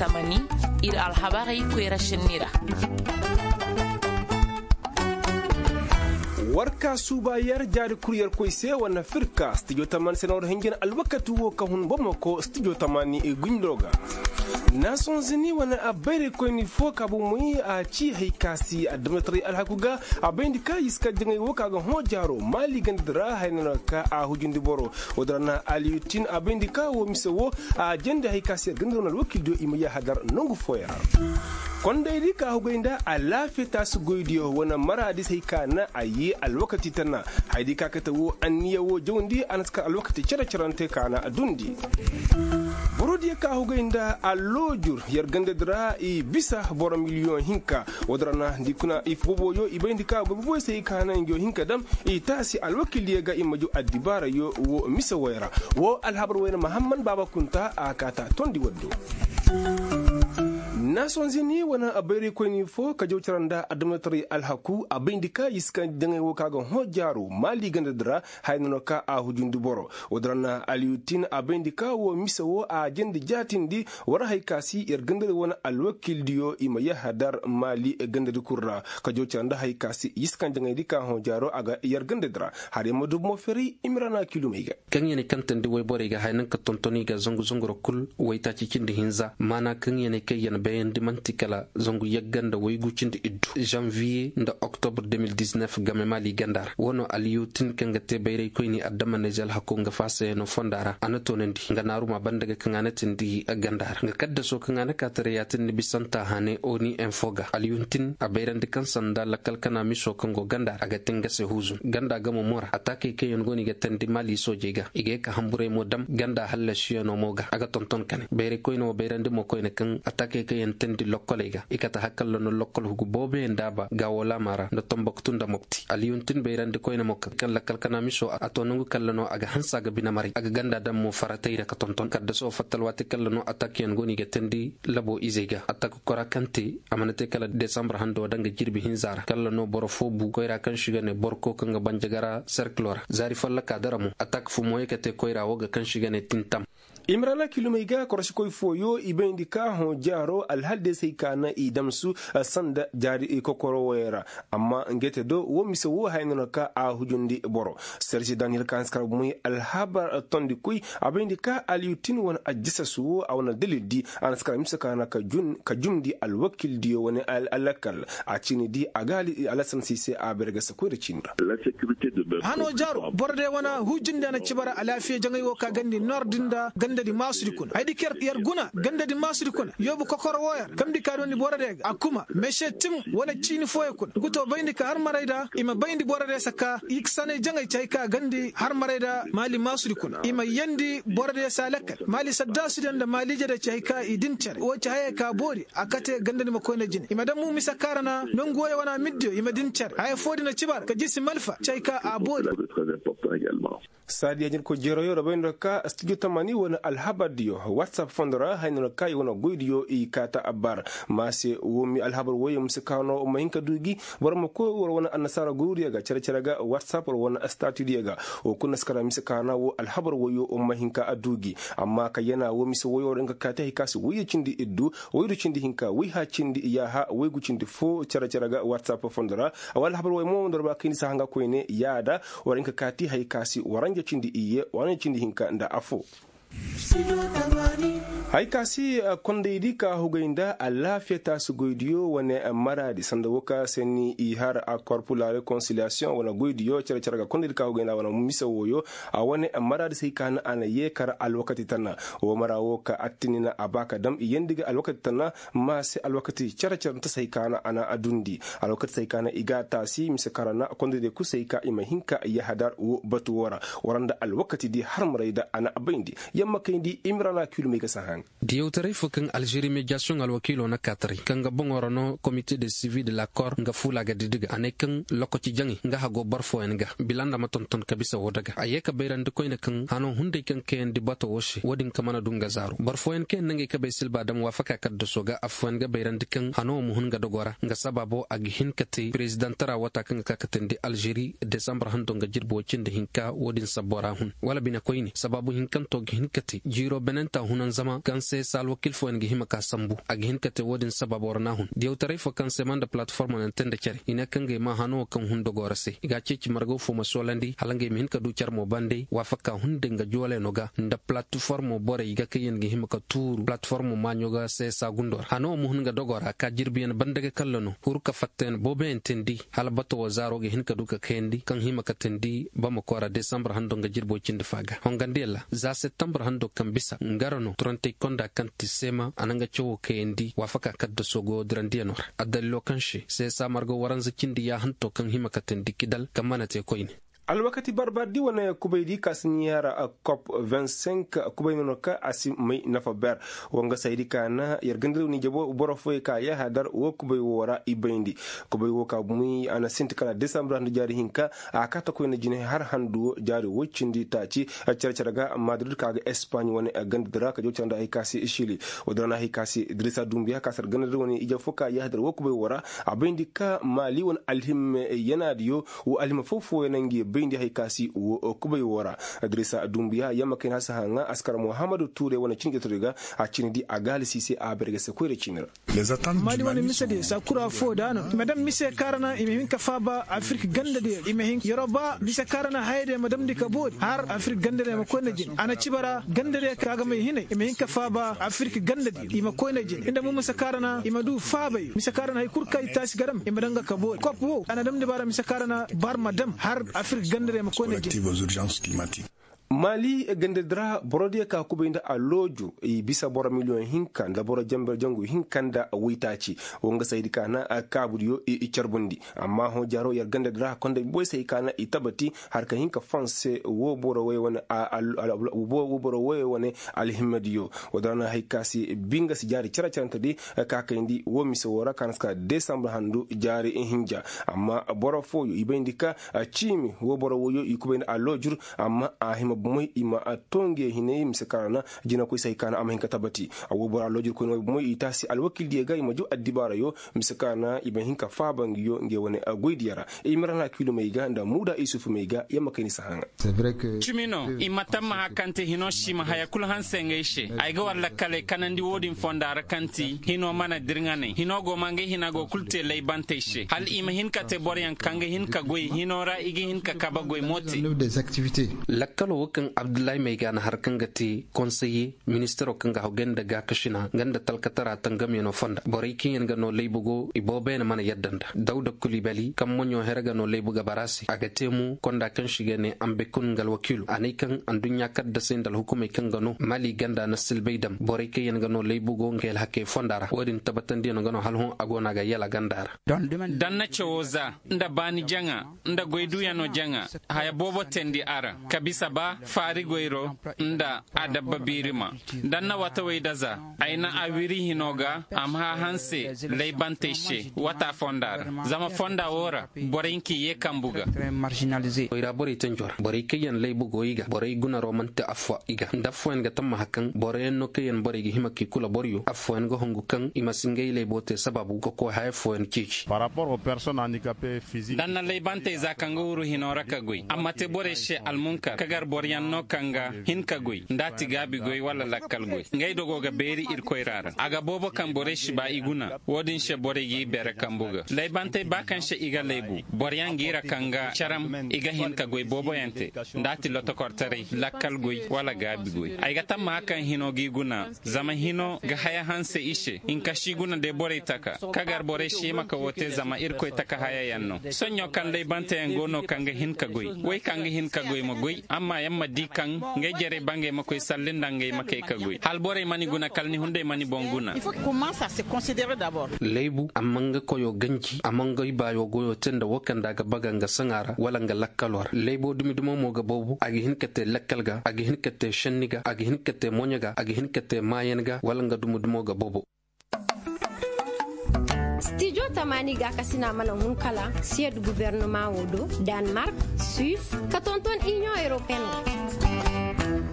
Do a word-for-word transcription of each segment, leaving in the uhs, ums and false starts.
Tamani, ir alhabarey koyra šenni ra. War ka suuba yer jaari kul yer koy se wane firka stijo tamani se na war hinjin alwakati wo ka hun bamako stijo tamani gundo ga. Nason zini wane abayray koyni fo ka bomoy a ci hay ka si adamataray alhaku ga. A bayndi ka iska jaŋay wo ka ga hõ jaaro maali ganda di ra hay no na ka a hujundi boro. Wo dira na aliyutin a bayndi ka wo mise wo a jandi hay ka si yer ganda di ra wane alwakil diyo i ma yahadar nangu fooyaŋ ra. Kondaydi ka hugay nda alaafiya taasi goydiyo wane maraadis hay ka naŋ a ye alwakati tana. Haydi ka kate wo anniya wo jawndi a na si kar alwakati cere-cerante ka naŋ a dundi. Borodiyo ka hugay nda alloojur yer ganda di ra i bisa boro miliyoŋ hinka. Wo dira na ndi kuna i boboyo i bayndi ka goy boboyo se i ka naŋ njo hinka dam i taasi alwakildiyo ga i ma jaw addibaarayo wo mise woy ra. Wo alhabar woy na mahamman baaba kunta a kaata tondi waddo. Nason zini wane abayraykoyni fo ka jaw cara nda adamataray alhaku a bayndi ka i si kaŋ jaŋay wo ka ga hõ jaaro maali ganda di ra. Haya no no ka a hujundi boro wo dira na aliyutin a bayndi ka wo mise wo a jandi jaatindi. War hay ka si yer ganda di wane alwakildiyo i ma yahadar maali ganda di kul ra ka jaw cara nda hay ka si i si kaŋ jaŋay di ka hõ jaaro a ga yer ganda di ra. Har yer ma du bomo feray imrana kilumey ga. Kaŋ ya na kantandi wayborey ga haya naŋ ka tonton i ga zangu zangu ra kul waytaaci cindi hinza maana kaŋ ya na kay ya na bayandi man'ti kala zangu yagga nda waygu cindi iddu zanviye nda oktobr game maali ganda ra. Wo no aliyutin kaŋ ga te bayraykoyni adama neezel hakko nga faasayano fonda ra a na toonandi nga naaruma banda ga kaŋ a na tindi ganda ra nga kaddaso kaŋ a na kaataray ya tindi bisanta hane oni enfo ga aliyutin a bayrandi kaŋ sanda lakkal kana miso kaŋ go ganda ra a ga te nga se huuzun ganda gamo mo ra ataakey kaŋ yaŋ go no i ga tandi maali soojey ga i ga ye ka hamburay mo dam ganda hallasiyano mo ga a ga tonton kane bayray koyne wo bayrandi mo koyne kaŋ ataakey kaŋ yaŋ tandi lokkoley ga i kate hakalla no lokkol hugu booboyaŋ daaba gaawolaama ra nda tomboktu nda mopti aliyuntin bayrandi koyne mo kaŋ lakkal kana miso a to nangu kalla no a ga hanse a ga binemaray a ga ganda daŋ mo faratay ra ka tonton kaddaso fatta alwaati kalla no ataakey yaŋ go no i ga tandi labo izey ga ataak kora kaŋ te a mana te kala desambar hando da nga jirbi hinza ra kalla no boro fo bu koyra kaŋ si ga ne borko kaŋ ga banjagara serkilo ra zaari folloka dara mo atak fumo ye ka te koyra wo ga kaŋ si ga ne tintam. Imrana kilumey ga korosikoy fooyo i bayndi ka hõ jaaro alhal deesey ka na i damsu sanda jaari kokoro woyey ra. Amma ngey te do wo mise wo haya no na ka a hujundi boro. Sersi daniyel ka hanse kar bomoy alhabar tondikoy a bayndi ka aliyutin wane ajisasu wo a wane dalil di a na si kar mise ka na ka jumndi alwakildiyo wane alakkal a ciini di a ga alasan si se a bayra ga sakoy nda ciini ra. Hano jaaro boro day wane hujindi a na ci bara alaafiya jaŋay wo ka gandi nor din nda gandadi maasudi kuna haydi kaŋ yer guna gandadi maasudi kuna yoobu kokoro wooyo ra kamndi ka dooni boro day ga a kuma mese tim wala ciini fooyo kuna ngu to bayndi ka har maray da i ma bayndi boro day saka i ga sanay jaŋay ci hay ka gandi har maray da maali maasudi kuna i ma yandi boro day se alakkal maali saddaasudi yaŋ nda maali ije day ci hay ka i din cere wo ci hayey ka boori a kate gandadi ma koyne jine i ma daŋ mu mise kaŋ ra na nongu wooyo wane middiyo i ma din cere haya foo din na ci bara ka jisi malfa ci hay ka a boori. Saadiya jirko jeroyo ra bay no ka studio tamani wane alhabardiyo whatsapp fondo ra hay no ka i wane goydiyo i kaata abbar ma se wo mi alhabar woyo mise kaano ma hin ka du gi boro ma koy war wane annasaara goydiyo ga cere-cere ga whatsapp war wane statudiyo ga wo kuna si kara mise kaana wo alhabar woyo ma hin ka du gi amma ka yana wo mise woyo ra nga kaati hay ka si woyo cindi iddu woydu cindi hinka woyha cindi yaaha woygu cindi fo cere-cere ga whatsapp fondo ra. Awa alhabar woyo mo ndorba kayndi si hanga koyne yaada war hin ka kaati hay ka si waranja cindi iyye waranja cindi hinka nda afo. Hay ka si kondaydi ka hugay nda alaafiya taasi goydiyo wane maraadi sanda wo ka se ni i har akor pula rekonsiliyasiyoŋ wane goydiyo cere-cere ga kondaydi ka hugay nda wane mise woyo a wane maraadi se hay ka na a na yeekar alwakati tana wo mara wo ka attinina a ba ka dam i yandi ga alwakati tana ma se alwakati cere-cere nta se hay ka na a na a dundi alwakati se hay ka na i ga a taasi mise kara na kondaydi kul se hay ka i ma hin ka yahadar wo batu wo ra wara nda alwakati di har maray da a na a bayndi yamma kayndi imrana kilumey ga sahan. Diyawtaray fo kaŋ alžeri mediyasiyoŋ alwakiilo na kaataray kaŋ ga boŋo ra no komite de sivi de la kor nga fuula ga didi ga a ne kaŋ lokaci jaŋay nga hago boro fooyaŋ ga bila nda ma tonton ka bisa woo daga a yee ka bayrandi koyne kaŋ hano hunday kaŋ kayandi bato woo se woo din ka mana du nga zaaro boro fooyaŋ kaŋ yaŋ na ngey kabey silba dam waafaka kaddaso ga affooyaŋ ga bayrandi kaŋ hano woo ma hun nga dogoo ra nga sabaabo a ga hin ka te perezidantara wata kaŋ ga ka katandi alžeri desambar hando nga jirbi woo cindi hinka woo din sabbo ra hun wala bine koyne sabaabu hinkanto ga hin Ka te jiiro benenta hunan zama kaŋ se se alwakil fooyaŋ ga hima ka sambu. A ga hin ka te wo-din sabab war na hun diyawtaray fo kaŋ se ma nda palatiformo naŋ te nda care i ne kaŋ ga ay ma hano wo kaŋ hun dogo ra se i ga a ceeci margaw fo ma soolandi hala ngey ma hin ka du care mo bande waafaka hunday nga jooleno ga nda palatiformo borey ga kaŋ yaŋ ga hima ka tuuru palatiformo maaɲo ga se se a gundo ra hano wo ma hun ga dogo ra ka jirbiyaŋ bande ga kalla no huru ka fattayaŋ booboyaŋ teendi hala bato wo zaaro ga hin ka du ka kayandi kaŋ hima ka teendi bamako ra desambar hando nga jirbo cindi fa ga hongandiyaŋ ra za septambar hando kaŋ bisa nga ra no turantey konda kaŋ ti seema a na nga cawo kayandi waafaka kaddaso go dirandiyaŋo ra addalilo kaŋ se seesa marga waranza cindi yaahanto kaŋ hima ka teendi kidal kaŋ mana te koyne. Alwakati barbardi wane kubaydi ka si ni yara kop vingt cinq kubayno no ka a si may nafa ber. Wanga saydi ka na yar gandari wani jabo boro foy ka yahadar wo kubay wo ra i bayndi. Kubay wo ka bumi a na sinti kala desambar handu jaari hinka a kata koyna jine har handu jaari woy cindi taaci. Care care ga madrid ka ga espagne wane gandadi ra ka jaw care nda hay ka si shili. Wadin ra na hay ka si idrisa dumbiya ka sar gandadi wane ije fo ka yahadar wo kubay wo ra. A bayndi ka mali wane alhimme yanaadiyo wo alhima foo-fooyaŋ na ngi bayndi hay ka si wo kubay wo ra. Idrisa dumbiya yamma kayna a si haŋa askar muhammadu ture wane cini jatari ga. A cini di a gaalisi se a berge se koyra cini ra. Mali wane mise diyo saa kura foo da no i ma daŋ mise kaŋ ra na i ma hin ka faaba afirka ganda diyo i ma hin yoroba mise kaŋ ra na haya diyo ma damndi ka boori har afirka ganda diyo ma koy nda jin a na ciba ra ganda diyo kaŋ a ga may hinay i ma hin ka faaba afirka ganda diyo i ma koy nda jin nda mo mise kaŋ ra na i ma du faabay mise kaŋ ra na hay kul kaŋ i taasi ga dam i ma daŋ ga ka boori kop wo a na damndi baara mise kaŋ ra na bar ma dam har afirka ganda diyo ma koy nda jin. Mali gandadi ra boro diyo ka kubay nda alooju i bisa boro miliyoŋ hinka nda boro jangu hinka nda waytaaci. Wo nga saydi ka na kaabudiyo i carbundi. Amma hõ jaaro yer gandadi ra konda boy say ka na i tabati har ka hin ka fonse wo boro woy wane alhimmadiyo. Wo da na hay ka si bi nga si jaari care carante di ka kayndi wo mise wo ra ka na si ka desambur handu jaari hinja. Amma boro fooyo i bayndi ka ciimi wo boro woyo i kubay nda aloojur. Amma a hima bomey i ma a to nge hinay mise kaŋ ra na jinakoy se hay ka na a ma hin ka tabati. A wo bora loojirkoyne wo bomey i taasi alwakildiyo ga i ma jaw addibaarayo mise kaŋ ra na i ma hin ka faaba ngiyo nge wane goydiyo ra. I ma ra na kiilumey ga nda muuda isufu mey ga yamma kay ni si haŋa. Cimi no i ma tammaha kaŋ te hino si ma haya kulu hanse ngey se. Ay ga war lakkaley kanandi wo-din fonda ra kaŋ ti hino mana dirŋaney hino go ma ngey hina go kulu te laybantey se hala i ma hin ka te boroyaŋ kaŋ ga hin ka goy hino ra i ga hin ka kabe goy mo te. Lakkalo wo kaŋ abdullahi may ga na har kaŋ ga te konseye ministaro kaŋ ga haw ganda gaakasina nga nda talkatara tangamyano fonda borey kaŋ yaŋ ga no laybu go i boobo yaŋ mana yadda nda dawda kulibali kaŋ moɲo here ga no laybu ga bara se a ga te mo konda kaŋ si ga ne ambekun nga alwakiilo a ne kaŋ anduɲɲa kaddasey nda alhukumey kaŋ ga no mali ganda na silbay dam borey kaŋ yaŋ ga no laybu go nga alhakey fonda ra wo-din tabatandiyaŋo ga no hala hõ a go no a ga yala ganda ra. Danna cawo za nda baani jaŋa nda goyduyanoo jaŋa haya boobo teendi a ra ka bisa ba faari goyro nda adabba biirima. Danna watawey daza ay na a wiri hinoo ga a ma hã hanse laybantey se wata fonda ra zama fonda woo ra borey nki yee kambu ga. Koyra borey tanjo ra borey kaŋ yaŋ laybu go i ga borey gunaroo man'ti affoo i ga nda affooyaŋ ga tammaha kaŋ boroyaŋ no kaŋ yaŋ borey ga hima k'i kula boryo affooyaŋ ga hungu kaŋ i ma si ngey layboo te sababu ga koy haya fooyaŋ ceeci. Danna laybantey za kaŋ ga wuru hinoo ra ka goy amma te borey se almunkar kagar boroyaŋ no kaŋ ga hin ka goy nda a ti gaabi goy wala lakkal goy ngey dogo ga beeri irkoy ra ra a ga boobo kaŋ borey si ba i guna. Wo-din se borey g'i bere kambu ga laybantey ba kaŋ se i ga laybu boroyaŋ g'i ra kaŋ ga caram i ga hin ka goy booboyaŋ te nda a ti lotokortaray lakkal goy wala gaabi goy ay ga tammaha kaŋ hino g'i guna. Zama hino ga haya hanse i se hinka si guna de borey taka kagar borey si hima ka wo te zama irkoy taka hayayaŋ no. Soɲõ kaŋ laybanteyaŋ go no kaŋ ga hin ka goy wey kaŋ ga hin ka goy ma goy amma yaŋ ma di kaŋ ngey jerey bangey ma koy salli nda ngey ma kay ka goy hala borey mana i guna kala ni hunday mana i boŋ guna. Laybu a ma nga koyo ganji a ma nga ibaayo goyo te nda wo kaŋ nda a ga baga nga saŋa ra wala nga lakkalo ra laybo dumi dumo mo ga boobo a ga hin ka te lakkal ga a ga hin ka te senni ga a ga hin ka te moɲo ga a ga hin ka te maayan ga wala nga dumi dumo ga boobo. Stijo tamaani gaakasina mana hun kala siyed gubernama wo do danmark, suisse ka tonton inion europeen wo.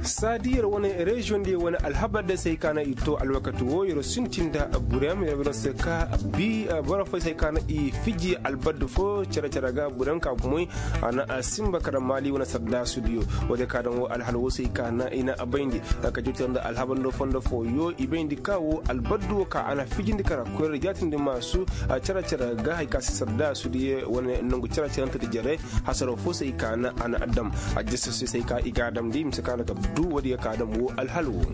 Saadi yer wane reziyoŋ diyo wane alhabar day se hay ka na i to alwakati wo yer sintin nda burem yer wane se ka bi boro fo se hay ka na i fiji albaddu fo cere-cere ga burem ka bumoy. A na a sinba kara maali wane sardaasu diyo. Wo- din ka daŋ wo alhala wo se hay ka na i na a bayndi. Ka jawti nda alhabar ndo fondo fo yo i bayndi ka wo albaddu wo ka a na fijindi kara koyra jaatindi maasu cere-cere ga hay ka se sardaasu diyo wane nangu cere-cere nta di jere. Hasaroo fo se hay ka na a na a dam. Ajjasasyo se hay ka i ga a damndi mise ka na ka du woodiyo ka a dam woo alhala woo.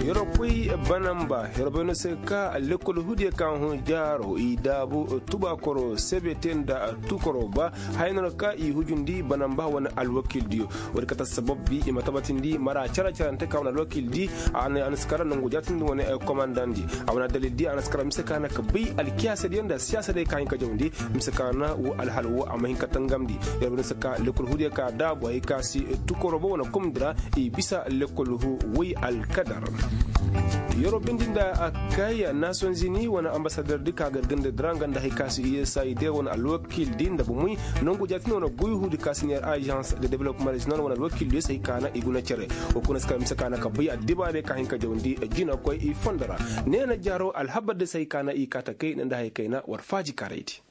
Yer wo koy banamba yer wo bay no se ka lekkol huudiyo ka hõ jaaro i daabu tubaakoro sebete nda tukoroo ba. Haya no na ka i hujundi banamba wane alwakiildiyo. Woodi kate assabab bi i ma tabatindi mara care-carante ka wane alwakiildi. A na si kara nongu jaatindi wane komandandi. A wane addalildi a na si kara mise ka na ka bay alkiyaasadiyo nda siyaasadey ka hin ka jawndi. Mise ka na woo alhala woo a ma hin ka tangamndi. Yer wo na si ka lekkol huudiyo ka daabu hay ka si tukoroo ba wane komdi ra i bisa lekkol huu woy alkadar. Yer wo bindi nda kay nasonzini wane ambasadordi ka ga ir ganda dira nga nda hay ka si usaid wane alwakiildi nda bumuy. Nongu jaatindi wane goy huudi ka si neer ajans de development rezinal wane alwakiildiyo se hay ka na i guna cere. Woo kuna si ka mise ka na ka bay addibaarey ka hin ka jawndi jinakoy i fondo ra. Neena jaaro alhabardi se hay ka na i kaa takay nda hay kayna war faaji karaydi.